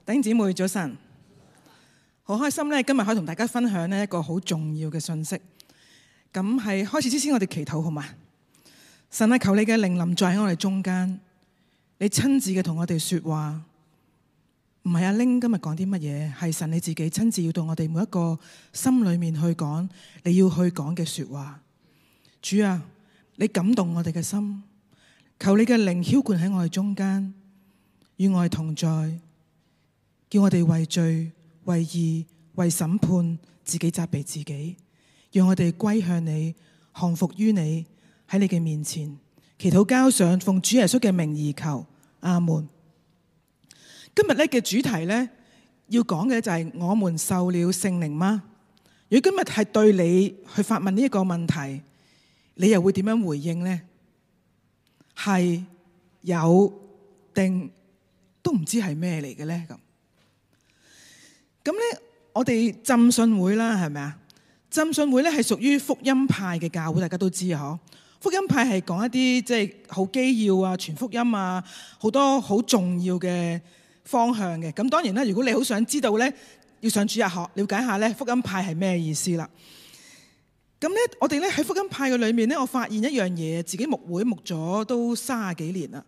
弟兄姊妹早晨，好開心咧，今日可以同大家分享呢一個好重要嘅信息。咁係開始之前，我哋祈禱好嘛？神啊，求你嘅靈臨在喺我哋中間，你親自嘅同我哋說話，唔係阿玲今日講啲乜嘢，係神你自己親自要到我哋每一個心裏面去講你要去講嘅說話。主啊，你感動我哋嘅心，求你嘅靈澆灌喺我哋中間，與我哋同在。叫我哋為罪、為義、為審判自己責備自己，讓我哋歸向你，降服於你，喺你嘅面前祈禱交上，奉主耶穌嘅名而求，阿門。今日咧嘅主題咧要講嘅就係我們受了聖靈嗎？如果今日係對你去發問呢一個問題，你又會點樣回應呢？係有定都唔知係咩嚟嘅咧？咁咧，我哋浸信會啦，係咪啊？浸信會咧係屬於福音派嘅教會，大家都知啊，嗬。福音派係講一啲即係好基要啊、傳福音啊，好多好重要嘅方向嘅。咁當然啦，如果你好想知道咧，要上主日學了解下咧，福音派係咩意思啦。咁咧，我哋咧喺福音派嘅裏面咧，我發現一樣嘢，自己牧會牧咗都30幾年啦。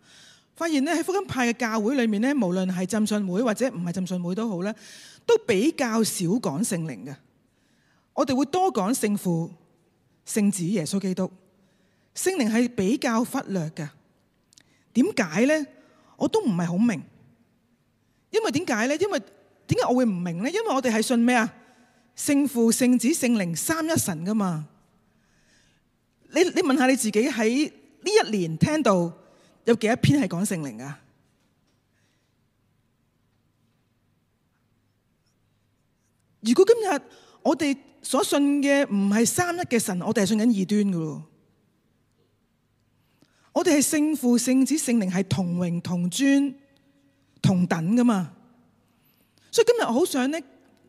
發現咧喺福音派嘅教會裏面咧，無論係浸信會或者唔係浸信會都好咧，都比較少講聖靈嘅。我哋會多講聖父、聖子耶穌基督，聖靈係比較忽略嘅。點解咧？我都唔係好明。因為點解咧？因為點解我會唔明咧？因為我哋係信咩啊？聖父、聖子、聖靈三一神噶嘛。你問下你自己，喺呢一年聽到有幾多篇係講聖靈啊？如果今日我哋所信嘅唔係三一嘅神，我哋係信緊異端噶咯。我哋係聖父、聖子、聖靈係同榮、同尊、同等噶嘛。所以今日我好想咧，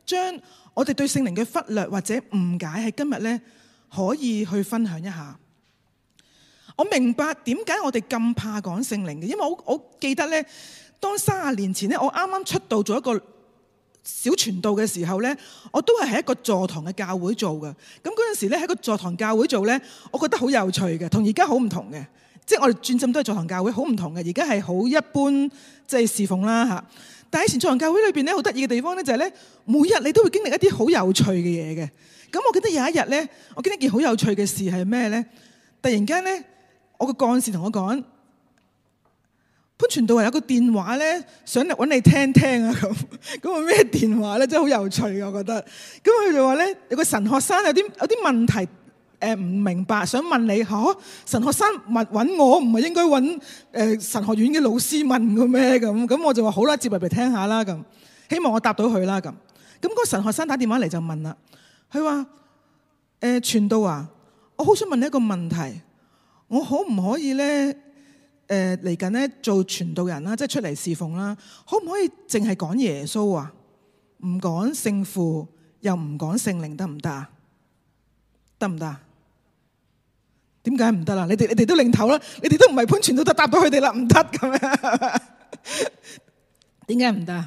將我哋對聖靈嘅忽略或者誤解喺今日咧，可以去分享一下。我明白點解我哋咁怕講聖靈嘅，因為我記得咧，當30年前咧，我啱啱出道做一個小傳道嘅時候咧，我都係喺一個座堂嘅教會做嘅。咁嗰陣時咧，喺個座堂教會做咧，我覺得好有趣嘅，同而家好唔同嘅。即係我哋轉浸都係座堂教會，好唔同嘅。而家係好一般，即係侍奉啦嚇。但係以前座堂教會裏邊咧，好得意嘅地方咧就係咧，每日你都會經歷一啲好有趣嘅嘢嘅。咁我記得有一日咧，我經歷一件好有趣嘅事係咩咧？突然間咧，我個幹事同我講，潘傳道話有個電話咧，想嚟揾你聽聽啊咁。咁個咩電話咧？真係好有趣嘅，我覺得。咁佢就話咧，有個神學生有啲問題唔明白，想問你嚇。神學生揾我，唔係應該揾神學院嘅老師問嘅咩？咁我就話好啦，接入嚟聽下啦咁，希望我答到佢啦咁。咁嗰個神學生打電話嚟就問啦，佢話傳道啊，我好想問你一個問題，我可唔可以咧嚟緊咧做傳道人啦，即係出嚟侍奉啦，可唔可以淨係講耶穌啊？唔講聖父，又唔講聖靈，得唔得啊？得唔得？點解唔得啦？你哋都領頭啦，你哋都唔係潘傳道，都答到佢哋啦，唔得咁樣。點解唔得？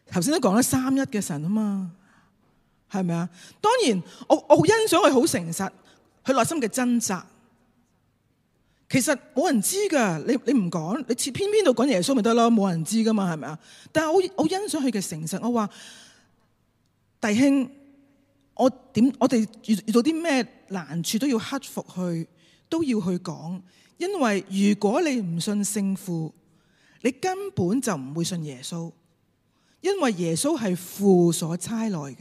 頭先都講咗三一嘅神啊嘛，係咪啊？當然，我好欣賞佢好誠實，佢內心嘅掙扎。其實冇人知噶，你唔講，你偏偏到講耶穌咪得咯，冇人知噶嘛，係咪啊？但係我欣賞佢嘅誠實。我話弟兄，我哋遇到啲咩難處都要克服去，都要去講。因為如果你唔信聖父，你根本就唔會信耶穌，因為耶穌係父所差來嘅。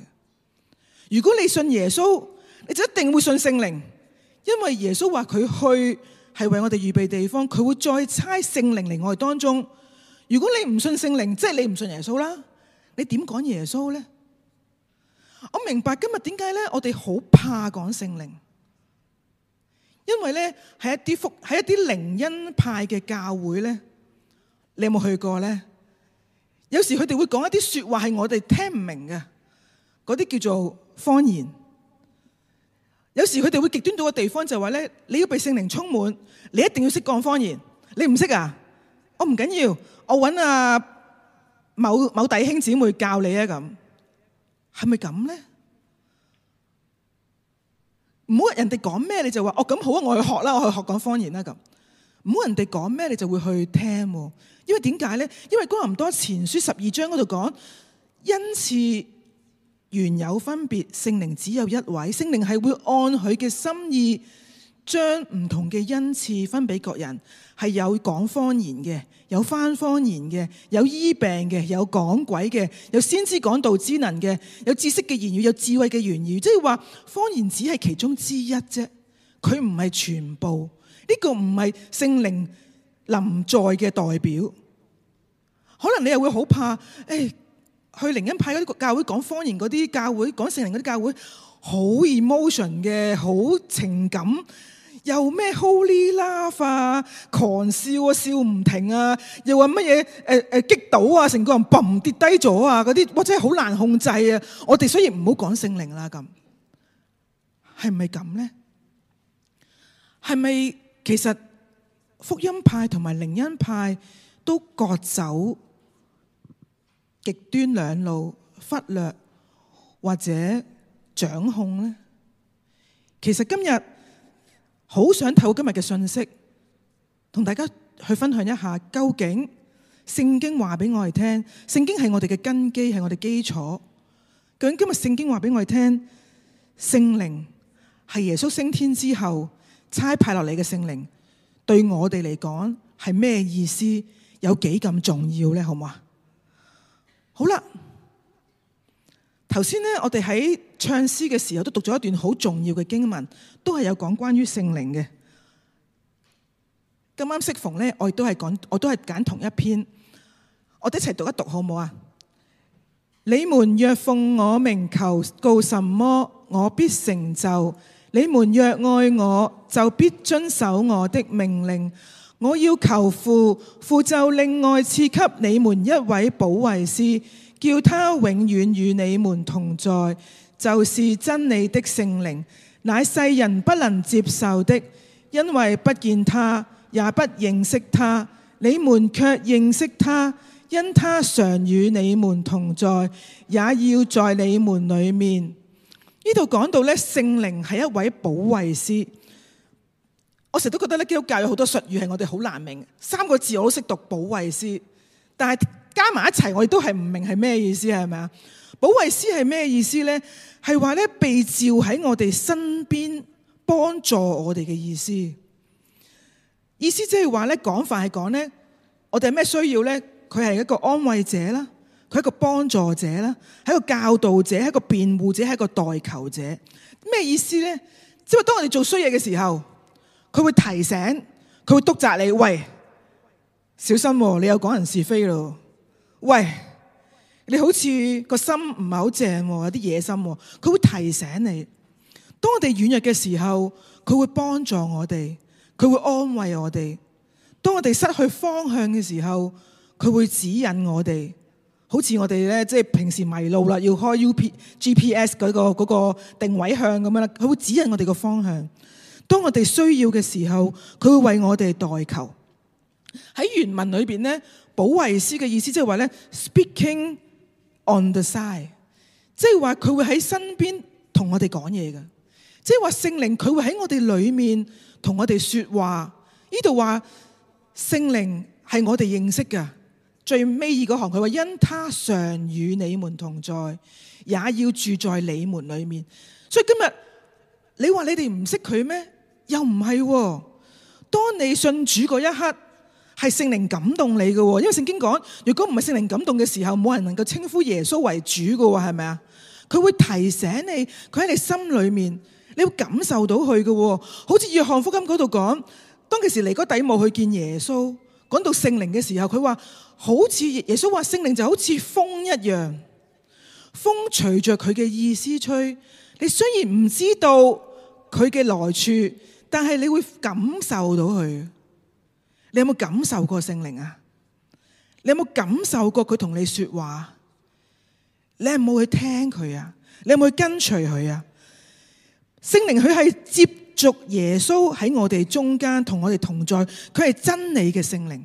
如果你信耶穌，你就一定會信聖靈，因為耶穌話佢去係為我哋預備地方，佢會再差聖靈嚟我哋當中。如果你唔信聖靈，即係你唔信耶穌啦，你點講耶穌呢？我明白今日點解咧，我哋好怕講聖靈，因為咧喺一啲靈恩派嘅教會咧，你有冇去過咧？有時佢哋會講一啲說話係我哋聽唔明嘅，嗰啲叫做方言。有時佢哋會極端到嘅地方就話咧，你要被聖靈充滿，你一定要識講方言。你唔識啊？我唔緊要，我揾某弟兄姊妹教你啊，咁係咪咁咧？唔好人哋講咩你就話咁好啊，我去學啦，我去學講方言啦咁。唔好人哋講咩你就會去聽，因為點解咧？因為哥林多前書12章嗰度講，恩賜原有分別，聖靈只有一位，聖靈係會按佢嘅心意將唔同嘅恩賜分俾各人，係有講方言嘅，有翻方言嘅，有醫病嘅，有講鬼嘅，有先知講道之能嘅，有知識嘅言語，有智慧嘅言語。即係話方言只係其中之一啫，佢唔係全部。呢個唔係聖靈臨在嘅代表。可能你又會好怕，去靈恩派嗰啲教會講方言嗰啲教會，講聖靈嗰啲教會，好 emotion 嘅，好情感，又咩 holy laugh 啊，狂笑啊，笑唔停啊，又話乜嘢擊倒啊，成個人嘣跌低咗啊，嗰啲哇真係好難控制啊！我哋所以唔好講聖靈啦，咁係咪咁咧？係咪其實福音派同埋靈恩派都各走極端兩路，忽略或者掌控呢？其實今日好想透過今日嘅信息，同大家去分享一下，究竟聖經話俾我哋聽，聖經係我哋嘅根基，係我哋基礎。究竟今日聖經話俾我哋聽，聖靈係耶穌升天之後差派落嚟嘅聖靈，對我哋嚟講係咩意思？有幾咁重要呢？好唔好啊？好啦，頭先呢，我哋喺唱詩嘅時候都讀咗一段好重要嘅經文，都係有講關於聖靈嘅。咁啱適逢呢，我都係揀同一篇，我哋一齊讀一讀好唔好啊？你們若奉我名求告什麼，我必成就。你們若愛我，就必遵守我的命令。我要求父，父就另外賜給你們一位保惠師，叫他永遠與你們同在，就是真理的聖靈，乃世人不能接受的，因為不見他，也不認識他。你們卻認識他，因他常與你們同在，也要在你們裡面。呢度講到咧，聖靈係一位保惠師。我成日都覺得咧，基督教有好多術語係我哋好難明，3個字我都識讀保惠師，但係加埋一齊我哋都係唔明係咩意思，係咪啊？保惠師係咩意思咧？係話咧，被召喺我哋身邊幫助我哋嘅意思。意思即係話咧，廣泛係講咧，我哋係咩需要咧？佢係一個安慰者啦，佢係一個幫助者啦，係一個教導者，係一個辯護者，係一個代求者。咩意思咧？即係當我哋做衰嘢嘅時候，佢會提醒，佢會督責你，喂，小心喎，你又講人是非咯，喂，你好似個心唔係好正喎，有啲野心喎，佢會提醒你。當我哋軟弱嘅時候，佢會幫助我哋，佢會安慰我哋。當我哋失去方向嘅時候，佢會指引我哋。好似我哋咧，即係平時迷路啦，要開 GPS 嗰個定位向咁樣啦，佢會指引我哋個方向。當我哋需要嘅時候，佢會為我哋代求。喺原文裏邊咧，保惠師嘅意思即係話咧 ，speaking on the side， 即係話佢會喺身邊同我哋講嘢嘅，即係話聖靈佢會喺我哋裏面同我哋說話。呢度話聖靈係我哋認識嘅，最尾嗰行佢話因他常與你們同在，也要住在你們裏面。所以今日你話你哋唔識佢咩？又唔係喎。當你信主嗰一刻，係聖靈感動你嘅喎。因為聖經講，如果唔係聖靈感動嘅時候，冇人能夠稱呼耶穌為主嘅喎，係咪啊？佢會提醒你，佢喺你心裏面，你會感受到佢嘅喎。好似約翰福音嗰度講，當其時尼哥底母去見耶穌，講到聖靈嘅時候，佢話好似耶穌話聖靈就好似風一樣，風隨着佢嘅意思吹。你雖然唔知道佢嘅來處，但係你會感受到佢。你有冇感受過聖靈啊？你有冇感受過佢同你說話？你有冇去聽佢啊？你有冇去跟隨佢啊？聖靈佢係接續耶穌喺我哋中間同我哋同在，佢係真理嘅聖靈，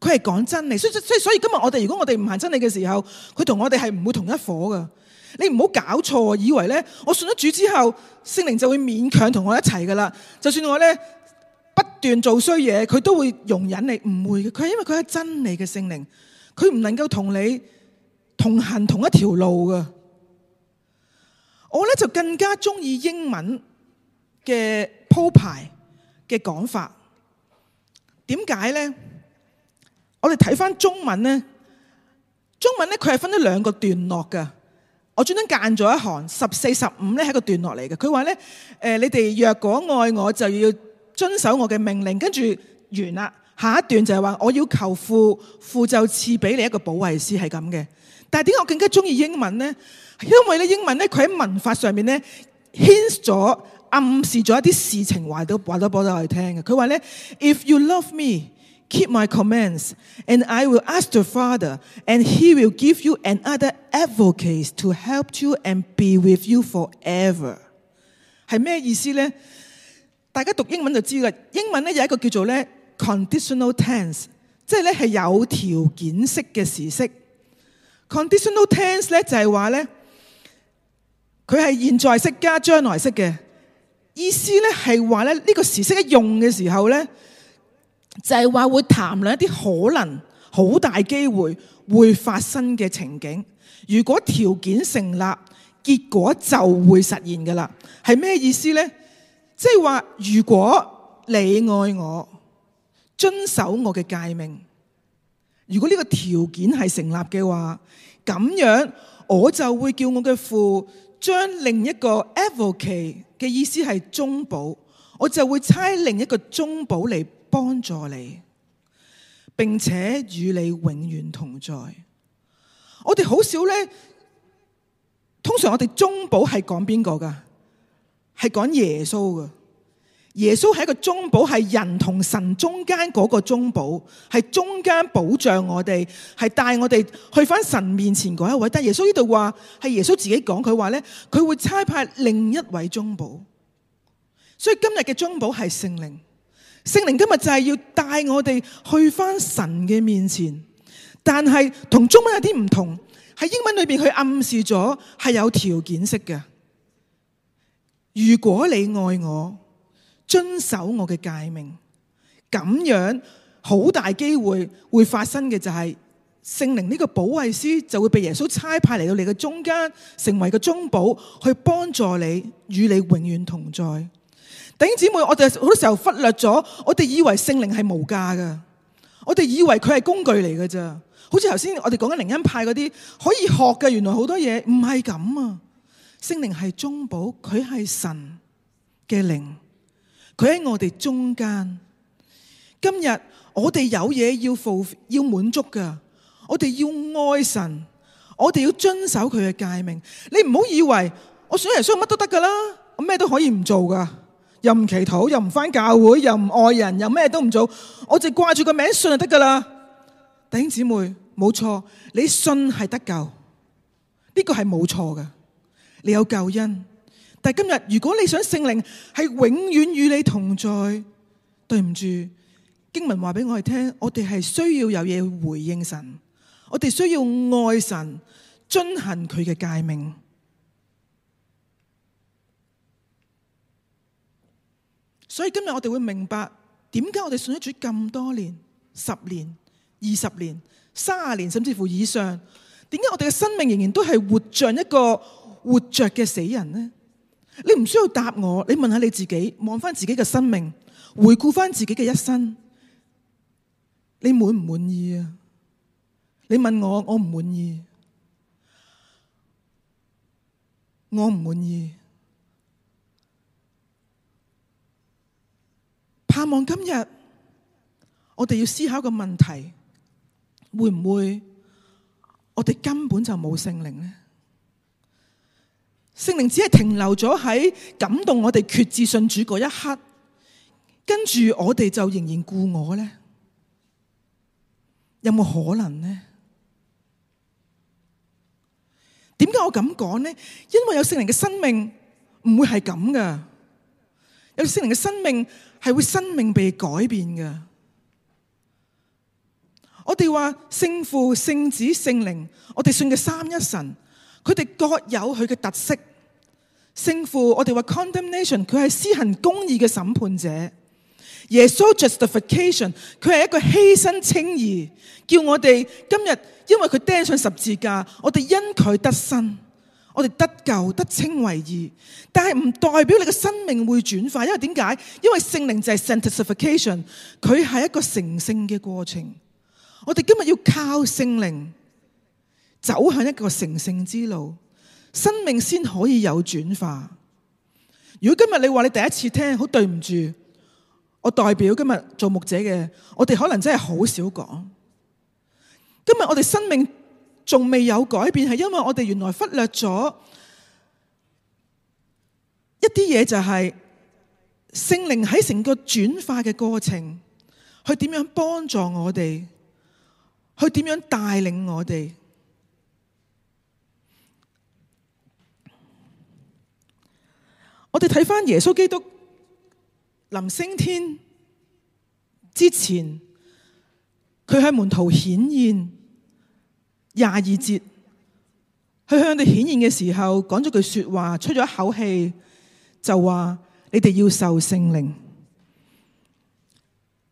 佢係講真理。所以今日如果我哋唔行真理嘅時候，佢同我哋係唔會同一夥噶。你唔好搞錯，以為咧我信咗主之後，聖靈就會勉強同我一齊噶啦。就算我咧不斷做衰嘢，佢都會容忍你，唔會嘅。佢係因為佢係真理嘅聖靈，佢唔能夠同你同行同一條路噶。我咧就更加中意英文嘅鋪排嘅講法。點解咧？我哋睇翻中文咧，佢係分咗兩個段落噶。我專登間咗一行14、15咧係一個段落嚟嘅。佢話咧，你哋若果愛我，就要遵守我嘅命令。跟住完啦，下一段就係話我要求父，父就賜俾你一個保惠師，係咁嘅。但係點解我更加中意英文咧？因為咧英文咧佢喺文法上面咧 hint 咗、暗示咗一啲事情，話到俾我哋聽嘅。佢話咧 ，If you love me, keep my commands, and I will ask the Father, and He will give you another advocate to help you and be with you forever。係咩意思咧？大家讀英文就知啦。英文咧有一個叫做咧 conditional tense， 即係咧係有條件式嘅時式。conditional tense 咧就係話咧，佢係現在式加將來式嘅意思咧，係話咧呢個時式一用嘅時候咧，就係話會談論一啲可能好大機會會發生嘅情景。如果條件成立，結果就會實現噶啦。係咩意思咧？即係話如果你愛我，遵守我嘅誡命，如果呢個條件係成立嘅話，咁樣我就會叫我嘅父將另一個 advocate 嘅意思係中保，我就會差另一個中保嚟幫助你，並且與你永遠同在。我哋好少咧，通常我哋中保係講邊個噶？係講耶穌噶。耶穌係一個中保，係人同神中間嗰個中保，係中間保障我哋，係帶我哋去翻神面前嗰一位。但耶穌呢度話係耶穌自己講，佢話咧佢會差派另一位中保。所以今日嘅中保係聖靈。聖靈今日就係要帶我哋去翻神嘅面前，但係同中文有啲唔同，喺英文裏邊佢暗示咗係有條件式嘅。如果你愛我，遵守我嘅誡命，咁樣好大機會會發生嘅就係聖靈呢個保惠師就會被耶穌差派嚟到你嘅中間，成為個中保去幫助你，與你永遠同在。弟兄姊妹，我哋好多時候忽略咗，我哋以為聖靈係無價噶，我哋以為佢係工具嚟噶咋。好似頭先我哋講緊靈恩派嗰啲可以學嘅，原來好多嘢唔係咁啊。聖靈係中保，佢係神嘅靈，佢喺我哋中間。今日我哋有嘢要滿足噶，我哋要愛神，我哋要遵守佢嘅誡命。你唔好以為我信耶穌乜都得噶啦，我咩都可以唔做噶。又唔祈禱，又唔返教會，又唔愛人，又咩都唔做，我就掛住個名信就得噶啦。弟兄姊妹，冇錯，你信係得救，呢個係冇錯噶，你有救恩。但係今日如果你想聖靈係永遠與你同在，對唔住，經文話俾我哋聽，我哋係需要有嘢去回應神，我哋需要愛神，遵行佢嘅誡命。所以今日我哋會明白點解我哋信咗主咁多年、10年、20年、30年，甚至乎以上，點解我哋嘅生命仍然都係活像一個活着嘅死人呢？你唔需要答我，你問下你自己，望翻自己嘅生命，回顧翻自己嘅一生，你滿唔滿意啊？你問我，我唔滿意，我唔滿意。盼望今日我哋要思考個問題，會唔會我哋根本就冇聖靈呢？聖靈只係停留咗喺感動我哋決志信主嗰一刻，跟住我哋就仍然故我呢？有冇可能呢？點解我咁講呢？因為有聖靈嘅生命唔會係咁噶，有聖靈嘅生命係會生命被改變嘅。我哋話聖父、聖子、聖靈，我哋信嘅三一神，佢哋各有佢嘅特色。聖父，我哋話 condemnation， 佢係施行公義嘅審判者；耶穌 justification， 佢係一個犧牲稱義，叫我哋今日因為佢釘上十字架，我哋因佢得生，我哋得救得稱為義。但係唔代表你嘅生命會轉化，因為點解？因為聖靈就係 sanctification， 佢係一個成聖嘅過程。我哋今日要靠聖靈走向一個成聖之路，生命先可以有轉化。如果今日你話你第一次聽，好對唔住，我代表今日做牧者嘅，我哋可能真係好少講。今日我哋生命仲未有改變，係因為我哋原來忽略咗一啲嘢，就係聖靈喺成個轉化嘅過程，去點樣幫助我哋，去點樣帶領我哋。我哋睇返耶穌基督臨升天之前，佢喺門徒顯現22節，佢向佢哋顯現嘅時候講咗句說話，出咗一口氣就話：你哋要受聖靈。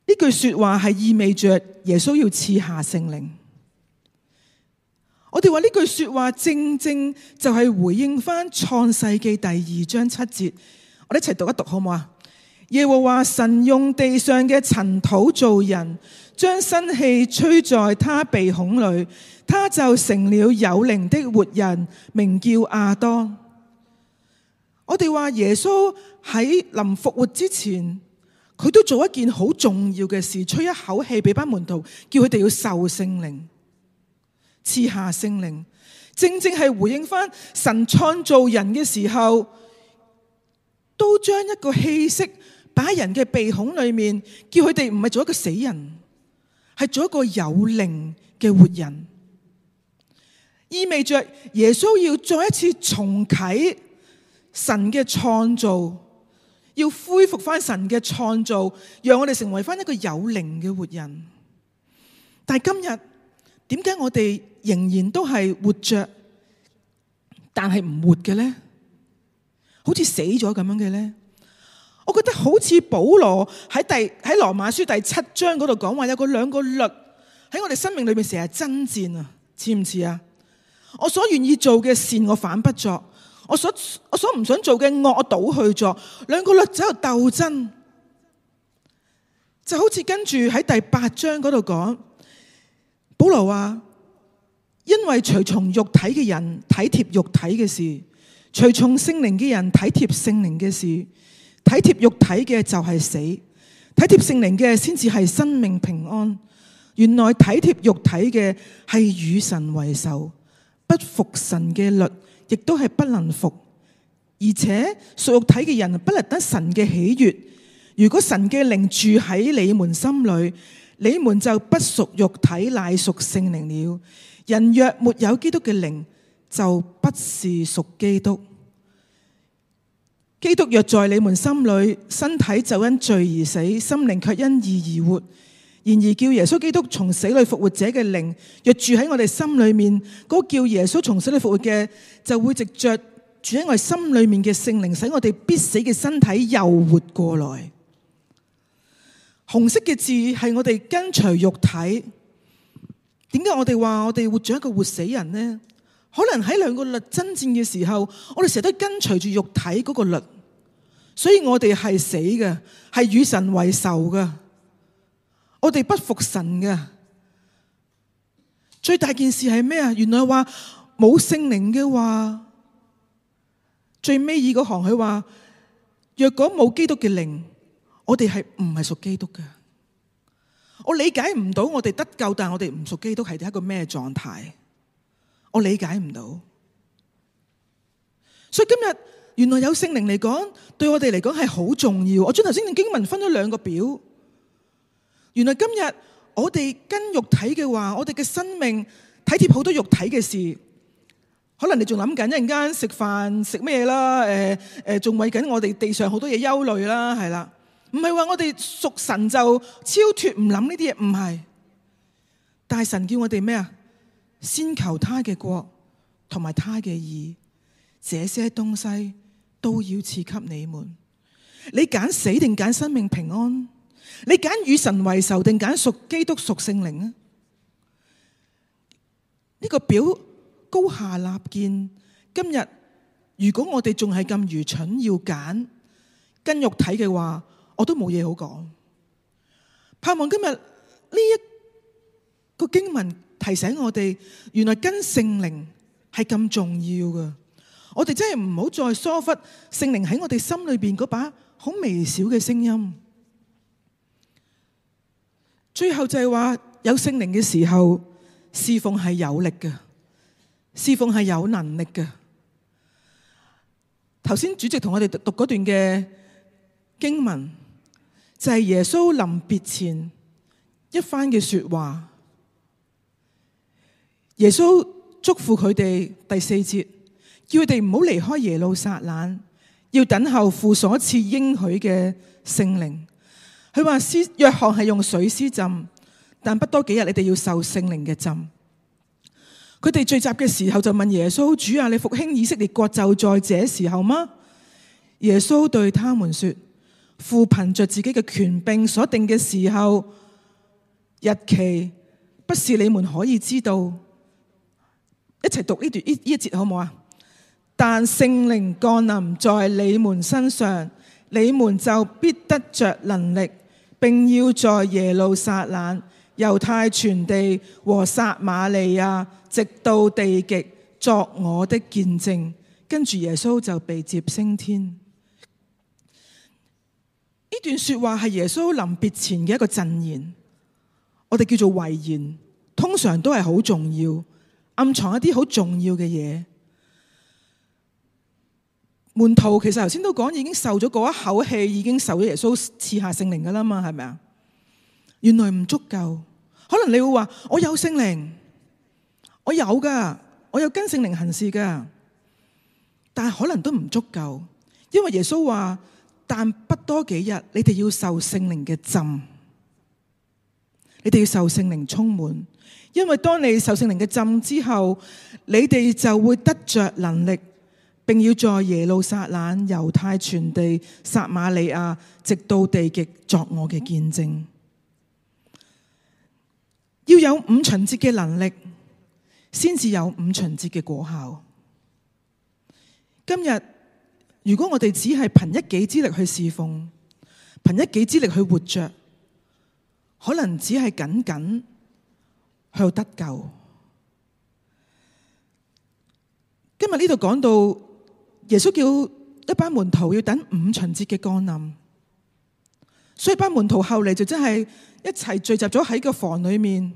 呢句說話係意味着耶穌要賜下聖靈。我哋話呢句說話正正就係回應翻創世記第2章7節，我哋一齊讀一讀好唔好啊？耶和華神用地上嘅塵土造人，將生氣吹在他鼻孔裏，他就成了有靈的活人，名叫亞當。我哋話耶穌喺臨復活之前，佢都做一件好重要嘅事，吹一口氣俾班門徒，叫佢哋要受聖靈，賜下聖靈，正正係回應翻神創造人嘅時候，都將一個氣息擺喺人嘅鼻孔裏面，叫佢哋唔係做一個死人，係做一個有靈嘅活人，意味着耶穌要再一次重啟神嘅創造，要恢復翻神嘅創造，讓我哋成為翻一個有靈嘅活人。但係今日點解我哋仍然都係活着，但係唔活嘅呢？好似死咗咁樣嘅呢？我覺得好似保羅喺羅馬書第7章嗰度講話，有個兩個律喺我哋生命裏面成日爭戰啊，似唔似啊？我所願意做嘅善我反不作，我所唔想做嘅惡我倒去做，兩個律喺度鬥爭，就好似跟住喺第8章嗰度講，保羅話：因為隨從肉體嘅人體貼肉體嘅事，隨從聖靈嘅人體貼聖靈嘅事。體貼肉體嘅就係死，體貼聖靈嘅先至係生命平安。原來體貼肉體嘅係與神為仇，不服神嘅律，亦都係不能服。而且屬肉體嘅人不能得神嘅喜悅。如果神嘅靈住喺你們心裏，你們就不屬肉體，乃屬聖靈了。人若沒有基督嘅靈，就不是屬基督。基督若在你們心裏，身體就因罪而死，心靈卻因義而活。然而叫耶穌基督從死裏復活者嘅靈，若住喺我哋心裏面，嗰個叫耶穌從死裏復活嘅，就會藉着住喺我哋心裏面嘅聖靈，使我哋必死嘅身體又活過來。紅色嘅字係我哋跟隨肉體。點解我哋話我哋活咗一個活死人呢？可能喺兩個律爭戰嘅時候，我哋成日都跟隨住肉體嗰個律，所以我哋係死嘅，係與神為仇嘅，我哋不服神嘅。最大件事係咩啊？原來話冇聖靈嘅話，最尾二嗰行佢話：若果冇基督嘅靈，我哋係唔係屬基督嘅？我理解唔到我哋得救，但係我哋唔屬基督係一個咩狀態？我理解唔到，所以今日原來有聖靈嚟講，對我哋嚟講係好重要。我將頭先嘅經文分咗兩個表，原來今日我哋跟肉體嘅話，我哋嘅生命體貼好多肉體嘅事，可能你仲諗緊一陣間食飯食咩啦？仲為緊我哋地上好多嘢憂慮啦，係啦，唔係話我哋屬神就超脫唔諗呢啲嘢，唔係。但係神叫我哋咩啊？先求他嘅國同埋他嘅義，這些東西都要賜給你們。你揀死定揀生命平安？你揀與神為仇定揀屬基督屬聖靈啊？呢個表高下立見。今日如果我哋仲係咁愚蠢，要揀跟肉體嘅話，我都冇嘢好講。盼望今日呢一個經文提醒我哋，原來跟聖靈係咁重要㗎。我哋真係唔好再疏忽聖靈喺我哋心裏邊嗰把好微小嘅聲音。最後就係話，有聖靈嘅時候，侍奉係有力嘅，侍奉係有能力嘅。頭先主席同我哋讀嗰段嘅經文，就係耶穌臨別前一番嘅說話。耶穌囑咐佢哋第4節，叫佢哋唔好離開耶路撒冷，要等候父所賜應許嘅聖靈。佢話約翰係用水施浸，但不多幾日你哋要受聖靈嘅浸。佢哋聚集嘅時候就問耶穌：主啊，你復興以色列國就在這時候嗎？耶穌對他們說：父憑着自己嘅權柄所定嘅時候、日期，不是你們可以知道。一齊讀呢一節好唔好啊？但聖靈降臨在你們身上，你們就必得着能力，並要在耶路撒冷、猶太全地和撒瑪利亞，直到地極，作我的見證。跟住耶穌就被接升天。呢段說話係耶穌臨別前嘅一個贈言，我哋叫做遺言，通常都係好重要，暗藏一啲好重要嘅嘢。門徒其實頭先都講，已經受咗嗰一口氣，已經受咗耶穌賜下聖靈噶啦嘛，係咪啊？原來唔足夠。可能你會話：我有聖靈，我有噶，我有跟聖靈行事噶，但係可能都唔足夠，因為耶穌話：但不多幾日，你哋要受聖靈嘅浸，你哋要受聖靈充滿。因為當你受聖靈嘅浸之後，你哋就會得着能力，並要在耶路撒冷、猶太全地、撒瑪利亞，直到地極，作我嘅見證。要有五旬節嘅能力，先至有五旬節嘅果效。今日如果我哋只係憑一己之力去侍奉，憑一己之力去活着，可能只係僅僅去得救。今日呢度講到耶穌叫一班門徒要等五旬節嘅降臨，所以班門徒後嚟就真係一齊聚集咗喺個房裏面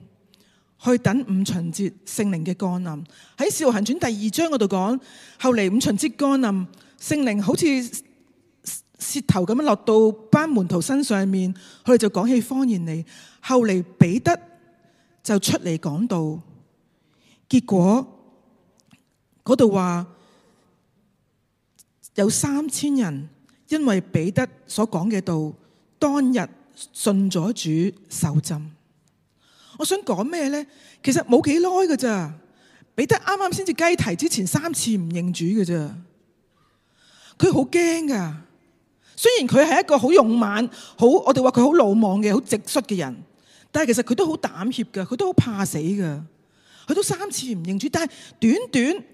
去等五旬節聖靈嘅降臨。喺《使徒行傳》第2章嗰度講，後嚟五旬節降臨，聖靈好似舌頭咁樣落到班門徒身上面，佢哋就講起方言嚟。後嚟彼得就出嚟講道，結果嗰度話有3000人因為彼得所講嘅道，當日信咗主受浸。我想講咩呢？其實冇幾耐㗎咋，彼得啱啱先至雞啼之前3次唔認主㗎咋，佢好驚㗎。雖然佢係一個好勇猛、我哋話佢好魯莽嘅、好直率嘅人，但係其實佢都好膽怯㗎，佢都好怕死㗎。佢都3次唔認主，但係短短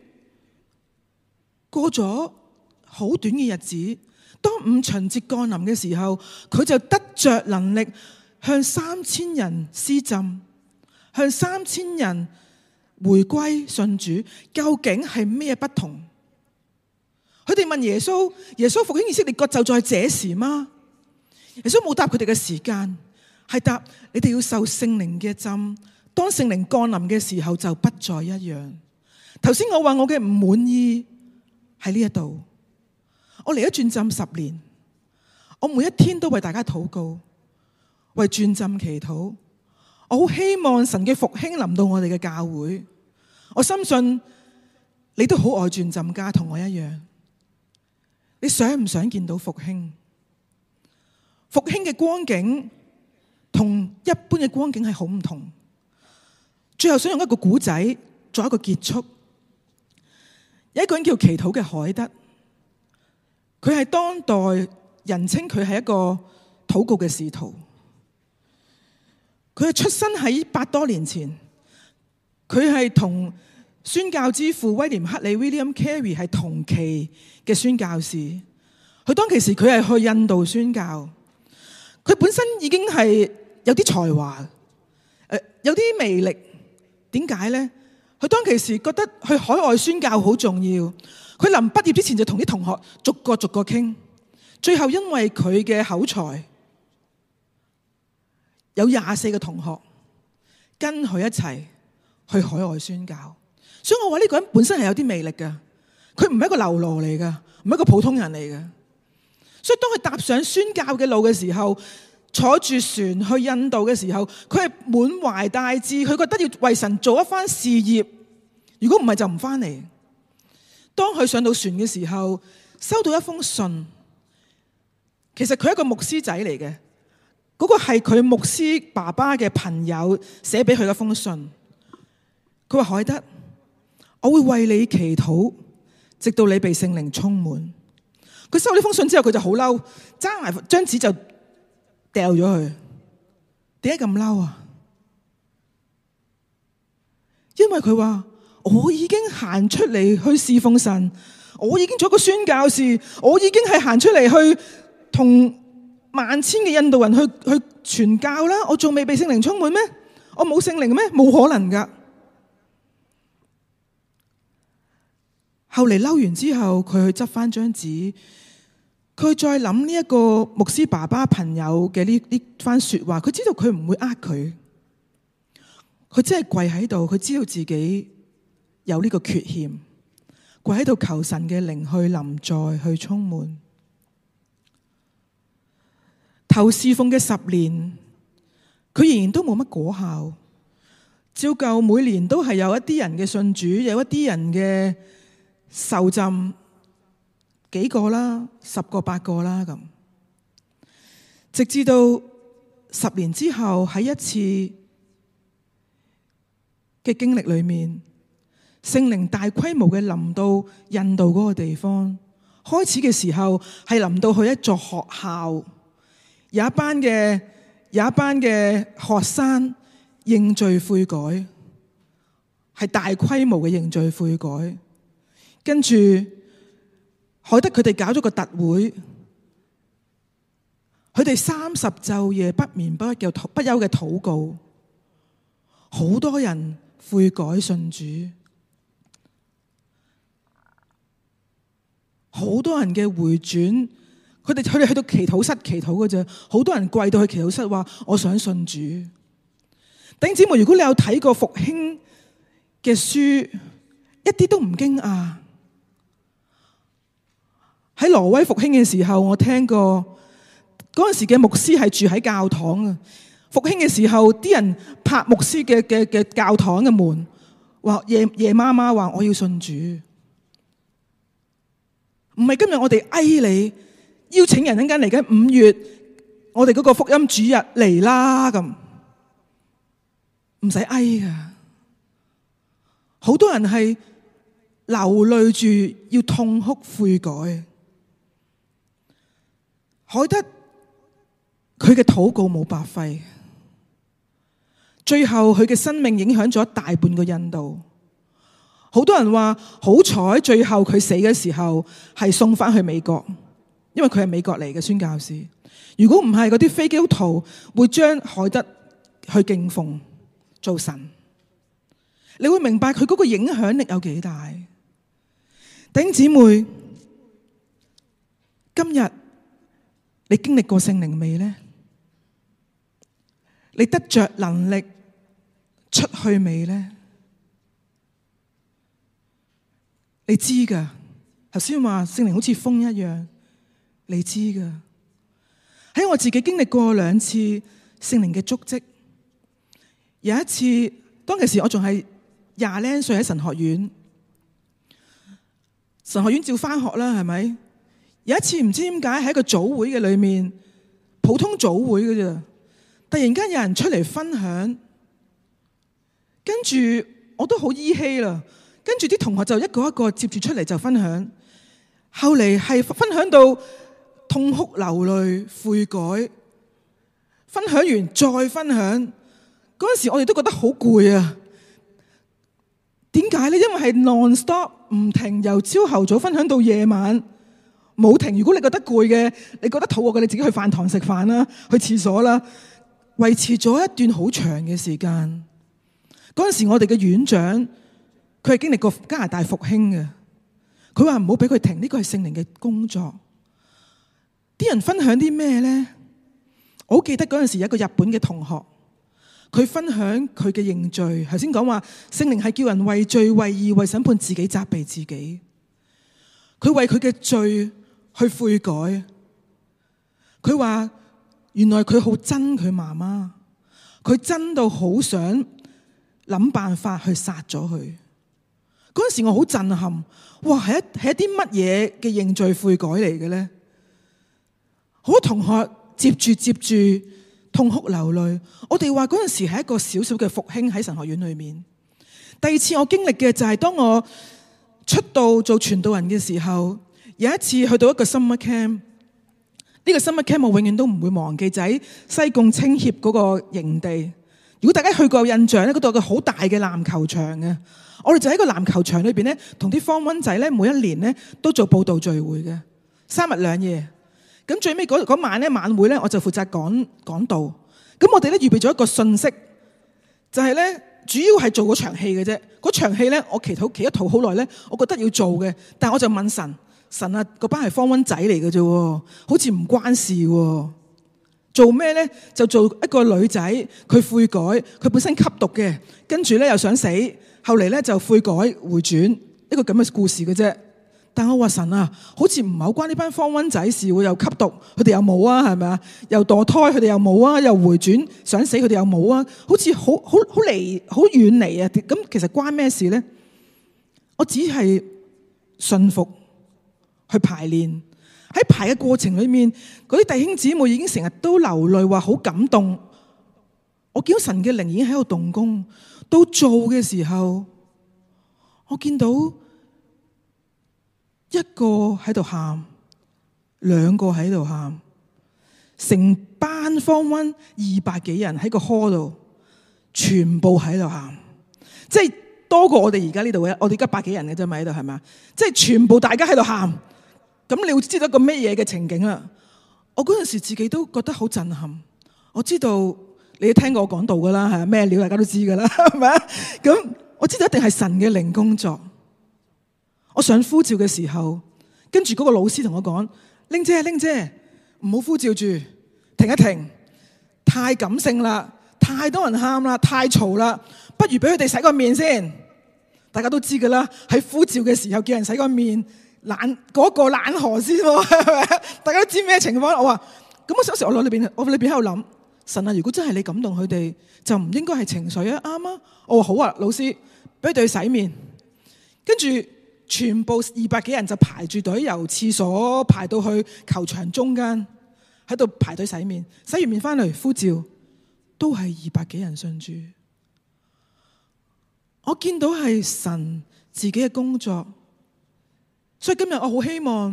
過咗好短嘅日子，當五旬節降臨嘅時候，佢就得着能力向3000人施浸，向3000人回歸信主。究竟係咩不同？佢哋問耶穌：耶穌復興以色列國就在這時嗎？耶穌冇答佢哋嘅時間，係答你哋要受聖靈嘅浸。當聖靈降臨嘅時候，就不再一樣。頭先我話我嘅唔滿意喺呢一度，我嚟咗轉浸10年，我每一天都為大家禱告，為轉浸祈禱。我好希望神嘅復興臨到我哋嘅教會。我深信你都好愛轉浸家，同我一樣。你想唔想見到復興？復興嘅光景同一般嘅光景係好唔同。最後想用一個古仔作一個結束。有一個人叫祈禱嘅海德，佢係當代人稱佢係一個禱告嘅使徒。佢係出生喺100多年前，佢係同宣教之父威廉克里 William Carey 係同期嘅宣教士。佢當其時佢係去印度宣教，佢本身已經係有啲才華，有啲魅力。點解呢？佢當其時覺得去海外宣教好重要。佢臨畢業之前就同啲同學逐個傾，最後因為佢嘅口才，有24個同學跟佢一齊去海外宣教。所以我話呢個人本身係有啲魅力㗎，佢唔係一個流羅嚟㗎，唔係一個普通人嚟㗎。所以當佢踏上宣教嘅路嘅時候，坐住船去印度嘅時候，佢係滿懷大志，佢覺得要為神做一番事業。如果唔係就唔返嚟。當佢上到船嘅時候，收到一封信。其實佢係一個牧師仔嚟嘅，嗰個係佢牧師爸爸嘅朋友寫俾佢嘅封信。佢話：海德，我會為你祈禱，直到你被聖靈充滿。佢收呢封信之後，佢就好嬲，揸埋張紙就掉咗佢。點解咁嬲啊？因為佢話：我已經行出嚟去侍奉神，我已經做一個宣教士，我已經係行出嚟去同萬千嘅印度人去傳教啦。我仲未被聖靈充滿咩？我冇聖靈咩？冇可能噶。後嚟嬲完之後，佢去執翻張紙，佢再諗呢一個牧師爸爸朋友嘅呢番說話，佢知道佢唔會呃佢，佢真係跪喺度，佢知道自己有呢個缺陷，跪喺度求神嘅靈去臨在，去充滿。頭侍奉嘅10年，佢仍然都冇乜果效，照舊每年都係有一啲人嘅信主，有一啲人嘅受浸，幾個啦，10個8個啦咁。直至到10年之後，喺一次嘅經歷裏面，聖靈大規模嘅臨到印度嗰個地方。開始嘅時候係臨到去一座學校，有一班嘅學生認罪悔改，係大規模嘅認罪悔改。跟住海德佢哋搞咗個特會，佢哋30晝夜不眠不休嘅禱告，好多人悔改信主，好多人嘅回轉。佢哋去到祈禱室祈禱嘅啫，好多人跪到去祈禱室話：我想信主。弟兄姊妹，如果你有睇過復興嘅書，一啲都唔驚訝。喺挪威復興嘅時候，我聽過嗰陣時嘅牧師係住喺教堂啊。復興嘅時候，啲人拍牧師嘅教堂嘅門，話夜媽媽話我要信主。唔係今日我哋你邀請人，陣間嚟緊5月，我哋嗰個福音主日嚟啦咁，唔使噶。好多人係流淚住要痛哭悔改。海德佢嘅禱告冇白費，最後佢嘅生命影響咗大半個印度。好多人話好彩，最後佢死嘅時候係送翻去美國，因為佢係美國嚟嘅宣教士。如果唔係，嗰啲非基督徒會將海德去敬奉做神。你會明白佢嗰個影響力有幾大。弟兄姊妹，今日你經歷過聖靈未呢？你得着能力出去未呢？你知噶，頭先話聖靈好似風一樣，你知噶。喺我自己經歷過2次聖靈嘅足跡。有一次，當其時我仲係20零歲喺神學院，神學院照返學啦，係咪？有一次唔知點解喺一個組會嘅裏面，普通組會嘅啫，突然間有人出嚟分享，跟住我都好依稀啦，跟住啲同學就一個一個接住出嚟就分享，後嚟係分享到痛哭流淚悔改，分享完再分享，嗰陣時我哋都覺得好攰啊！點解呢？因為係 non-stop 唔停，由朝頭早分享到夜晚冇停。如果你覺得攰嘅，你覺得肚餓嘅，你自己去飯堂食飯啦，去廁所啦，維持咗一段好長嘅時間。嗰陣時我哋嘅院長佢係經歷過加拿大復興嘅，佢話唔好俾佢停，呢個係聖靈嘅工作。啲人分享啲咩呢？我好記得嗰陣時有一個日本嘅同學，佢分享佢嘅認罪。頭先講話聖靈係叫人為罪、為義、為審判自己、責備自己。佢為佢嘅罪去悔改。佢話原來佢好憎佢媽媽，佢憎到好想諗辦法去殺咗佢。嗰陣時我好震撼，哇！係一啲乜嘢嘅認罪悔改嚟嘅呢？好多同學接住痛哭流淚。我哋話嗰陣時係一個小小嘅復興喺神學院裏面。第二次我經歷嘅就係當我出道做傳道人嘅時候，有一次去到一個 summer camp。呢個 summer camp 我永遠都唔會忘記，就喺西貢青協嗰個營地。如果大家去過有印象咧，嗰度有個好大嘅籃球場嘅。我哋就喺個籃球場裏邊咧，同啲 Form 1仔咧，每一年咧都做佈道聚會嘅，3日2夜。咁最尾嗰晚咧晚會咧，我就負責講道。咁我哋咧預備咗一個信息，就係咧主要係做嗰場戲嘅啫。嗰場戲咧，我祈咗禱好耐咧，我覺得要做嘅，但係我就問神啊，嗰班係Form 1仔嚟嘅啫，好似唔關事喎。做咩呢？就做一個女仔，佢悔改，佢本身吸毒嘅，跟住咧又想死，後嚟咧就悔改回轉，一個咁嘅故事嘅啫。但我話神啊，好似唔係好關呢班Form 1仔事喎，又吸毒，佢哋又冇啊，係咪啊？又墮胎，佢哋又冇啊，又回轉想死，佢哋又冇啊，好似好遠離啊。咁其實關咩事呢？我只係信服去排練。喺排嘅過程裏面，嗰啲弟兄姊妹已經成日都流淚，話好感動。我見到神嘅靈已經喺度動工。到做嘅時候，我見到一個喺度喊，2個喺度喊，成班Form 1 200幾人喺個 hall 度，全部喺度喊，即係多過我哋而家呢度嘅。我哋而家100幾人嘅啫嘛，喺度係咪？即係全部大家喺度喊。咁你會知道一個咩嘢嘅情景啦？我嗰陣時自己都覺得好震撼。我知道你聽過我講道噶啦，係咩料大家都知噶啦，係咪啊？咁我知道一定係神嘅靈工作。我想呼召嘅時候，跟住嗰個老師同我講：玲姐，唔好呼召住，停一停，太感性啦，太多人喊啦，太嘈啦，不如俾佢哋洗個面先。大家都知噶啦，喺呼召嘅時候叫人洗個面。嗰個冷河先喎，係咪？大家都知咩情況？我話咁，我有時我裏邊喺度諗，神啊，如果真係你感動佢哋，就唔應該係情緒啊，啱啊。我話好啊，老師，俾佢哋洗面，跟住全部200幾人就排住隊由廁所排到去球場中間，喺度排隊洗面。洗完面翻嚟呼召，都係200幾人信主。我見到係神自己嘅工作。所以今日我好希望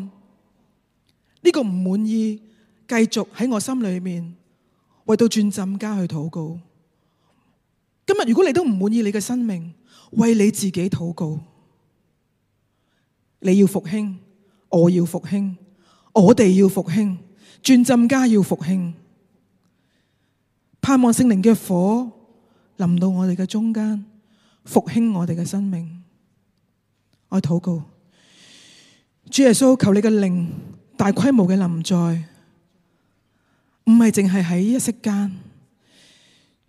呢個唔滿意繼續喺我心裏面為到轉浸家去禱告。今日如果你都唔滿意你嘅生命，為你自己禱告。你要復興，我要復興，我哋要復興，轉浸家要復興。盼望聖靈嘅火臨到我哋嘅中間，復興我哋嘅生命。我禱告。主耶穌，求你嘅靈大規模嘅臨在，唔係淨係喺一息間。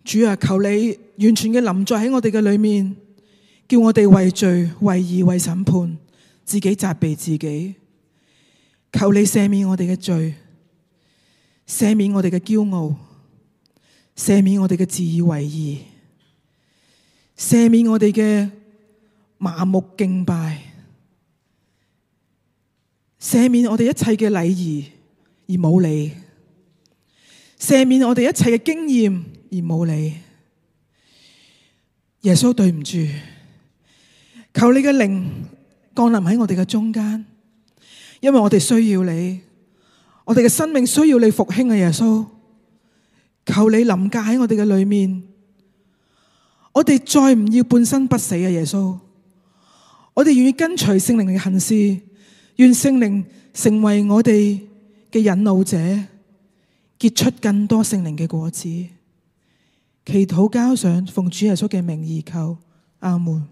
主啊，求你完全嘅臨在喺我哋嘅裏面，叫我哋為罪、為義、為審判，自己責備自己。求你赦免我哋嘅罪，赦免我哋嘅驕傲，赦免我哋嘅自以為義，赦免我哋嘅麻木敬拜。赦免我哋一切嘅禮儀而冇你，赦免我哋一切嘅經驗而冇你。耶穌，對唔住，求你嘅靈降臨喺我哋嘅中間，因為我哋需要你，我哋嘅生命需要你復興啊！耶穌，求你臨駕喺我哋嘅裏面，我哋再唔要半生不死啊！耶穌，我哋願意跟隨聖靈嘅行事，願聖靈成為我哋嘅引路者，結出更多聖靈嘅果子。祈禱交上，奉主耶穌嘅名而求，阿門。